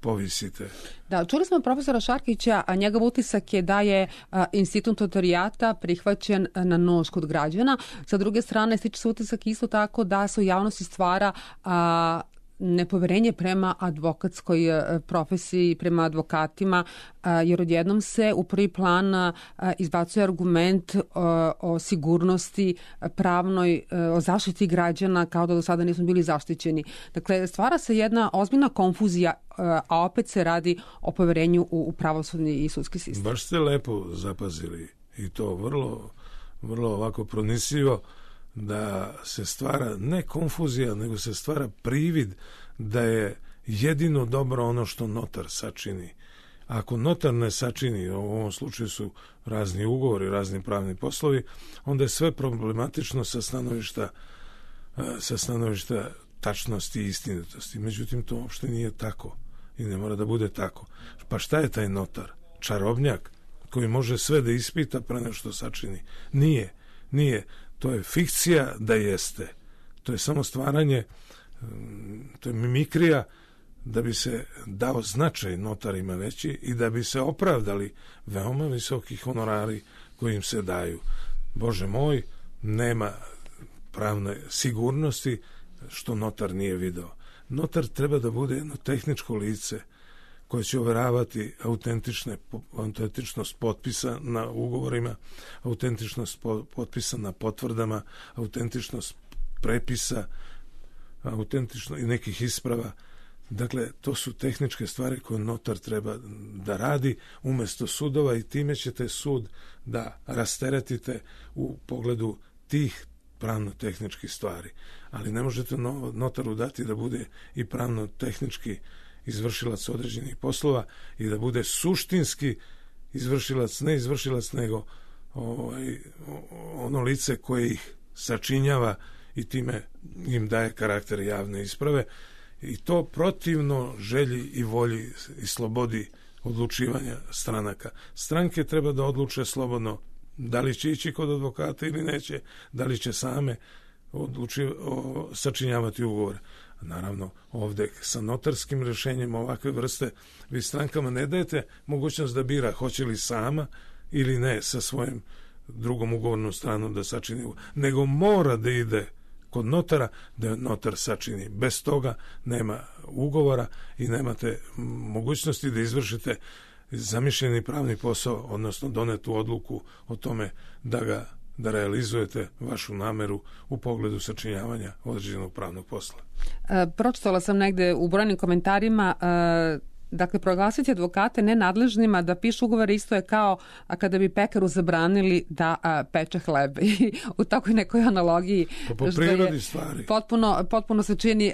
povisite. Da, čuli smo profesora Šarkića, a njegov utisak je da je institut notarijata prihvaćen na nož kod građana. Sa druge strane, stiče se utisak isto tako da se u javnosti stvara nepoverenje prema advokatskoj profesiji, prema advokatima, jer odjednom se u prvi plan izbacuje argument o sigurnosti pravnoj, o zaštiti građana, kao da do sada nismo bili zaštićeni. Dakle, stvara se jedna ozbiljna konfuzija, a opet se radi o poverenju u pravosudni i sudski sistem. Baš ste lepo zapazili i to vrlo, vrlo ovako pronisivo, da se stvara ne konfuzija, nego se stvara privid da je jedino dobro ono što notar sačini. Ako notar ne sačini, u ovom slučaju su razni ugovori, razni pravni poslovi, onda je sve problematično sa stanovišta tačnosti i istinitosti. Međutim, to uopšte nije tako i ne mora da bude tako. Pa šta je taj notar? Čarobnjak koji može sve da ispita pre nego što sačini? Nije. To je fikcija da jeste. To je samo stvaranje, to je mimikrija da bi se dao značaj notarima veći i da bi se opravdali veoma visoki honorari koji im se daju. Bože moj, nema pravne sigurnosti što notar nije video. Notar treba da bude jedno tehničko lice koje će overavati autentičnost potpisa na ugovorima, autentičnost potpisa na potvrdama, autentičnost prepisa, autentičnost i nekih isprava. Dakle, to su tehničke stvari koje notar treba da radi umjesto sudova i time ćete sud da rasteretite u pogledu tih pravno-tehničkih stvari. Ali ne možete notaru dati da bude i pravno-tehnički izvršilac određenih poslova i da bude suštinski izvršilac, ne izvršilac, nego ono lice koje ih sačinjava i time im daje karakter javne isprave, i to protivno želji i volji i slobodi odlučivanja stranaka. Stranke treba da odluče slobodno da li će ići kod advokata ili neće, da li će same sačinjavati ugovore. Naravno, ovde sa notarskim rješenjem ovakve vrste vi strankama ne dajete mogućnost da bira hoće li sama ili ne sa svojim drugom ugovornom stranom da sačini ugovor, nego mora da ide kod notara da notar sačini. Bez toga nema ugovora i nemate mogućnosti da izvršite zamišljeni pravni posao, odnosno donetu odluku o tome da realizujete vašu nameru u pogledu sačinjavanja određenog pravnog posla. Pročitala sam negde u brojnim komentarima dakle, proglasiti advokate nenadležnima da pišu ugovore isto je kao kada bi pekaru zabranili da peče hleb. I u takvoj nekoj analogiji po prirodi stvari. Potpuno se čini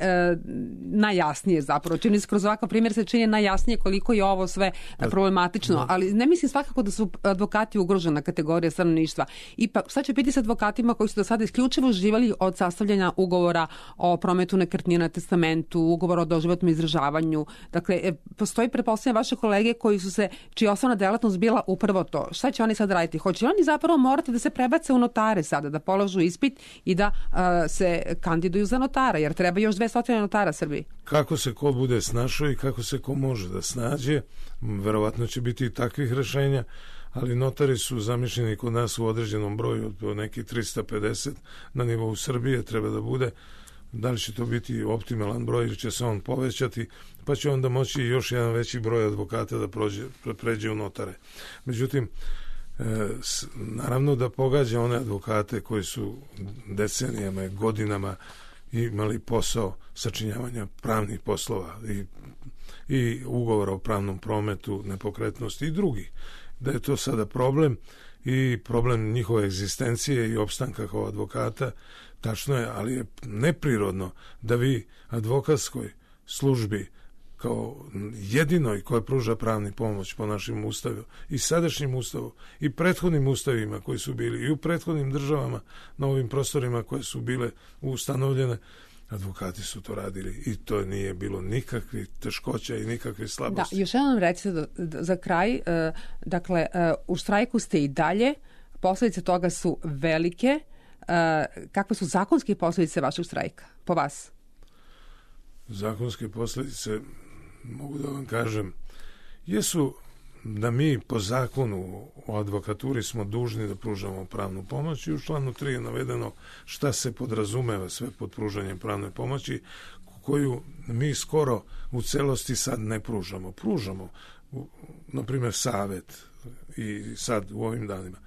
najjasnije zapravo. Čini se kroz ovakav primjer se čini najjasnije koliko je ovo sve problematično. Ali ne mislim svakako da su advokati ugrožena kategorija stanovništva. Ipak, sad će biti s advokatima koji su do sada isključivo uživali od sastavljanja ugovora o prometu nekretnina, testamentu, ugovora o doživotnom izdržavanju. Dakle, postoji, pretpostavljam, vaše kolege čija osnovna delatnost bila upravo to. Šta će oni sad raditi? Hoće oni zapravo morati da se prebace u notare sada, da polažu ispit i da se kandiduju za notara, jer treba još 200 notara Srbiji. Kako se ko bude snašao i kako se ko može da snađe, verovatno će biti i takvih rešenja, ali notari su zamišljeni kod nas u određenom broju, od nekih 350 na nivou Srbije treba da bude. Da li će to biti optimalan broj ili će se on povećati, pa će onda moći još jedan veći broj advokata da pređe u notare. Međutim, naravno da pogađa one advokate koji su decenijama i godinama imali posao sačinjavanja pravnih poslova i ugovora o pravnom prometu, nepokretnosti i drugih. Da je to sada problem i problem njihove egzistencije i opstanka kao advokata, tačno je, ali je neprirodno da vi advokatskoj službi kao jedinoj koja pruža pravni pomoć po našim ustavu i sadašnjim ustavu i prethodnim ustavima koji su bili i u prethodnim državama na ovim prostorima koje su bile ustanovljene, advokati su to radili i to nije bilo nikakvih teškoća i nikakvih slabosti. Da, još jednom recite za kraj, dakle, u štrajku ste i dalje, posljedice toga su velike. Kakve su zakonske posljedice vašeg štrajka, po vas? Zakonske posljedice, mogu da vam kažem, jesu da mi po zakonu o advokaturi smo dužni da pružamo pravnu pomoć i u članu 3 je navedeno šta se podrazumeva sve pod pružanjem pravne pomoći, koju mi skoro u celosti sad ne pružamo. Pružamo, na primjer, savjet i sad u ovim danima.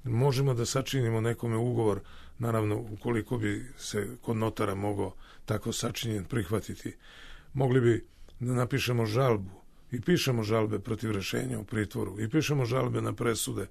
Možemo da sačinimo nekome ugovor, naravno ukoliko bi se kod notara mogao tako sačinjen prihvatiti. Mogli bi da napišemo žalbu i pišemo žalbe protiv rešenja u pritvoru i pišemo žalbe na presude,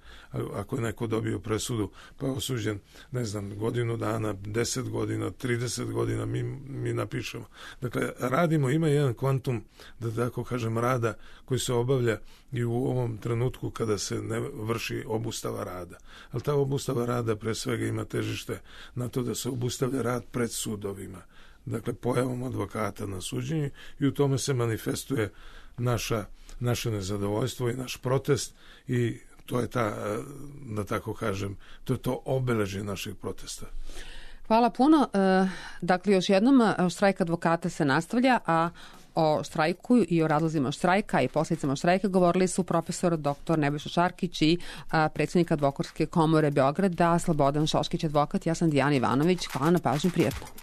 ako je neko dobio presudu pa je osuđen, ne znam, godinu dana, 10 godina, 30 godina, mi napišemo. Dakle, radimo, ima jedan kvantum, da tako kažem, rada koji se obavlja i u ovom trenutku kada se ne vrši obustava rada. Ali ta obustava rada pre svega ima težište na to da se obustavlja rad pred sudovima. Dakle, pojavom advokata na suđenju i u tome se manifestuje naše nezadovoljstvo i naš protest i to je da tako kažem, to je to obeležje našeg protesta. Hvala puno. Dakle, još jednom, štrajk advokata se nastavlja, a o štrajku i o razlozima štrajka i posljedicama štrajka govorili su profesor dr. Nebojša Šarkić i predsjednik Advokatske komore Beograda, Slobodan Šoškić, advokat. Ja sam Dijana Ivanović. Hvala na pažnju, prijatno.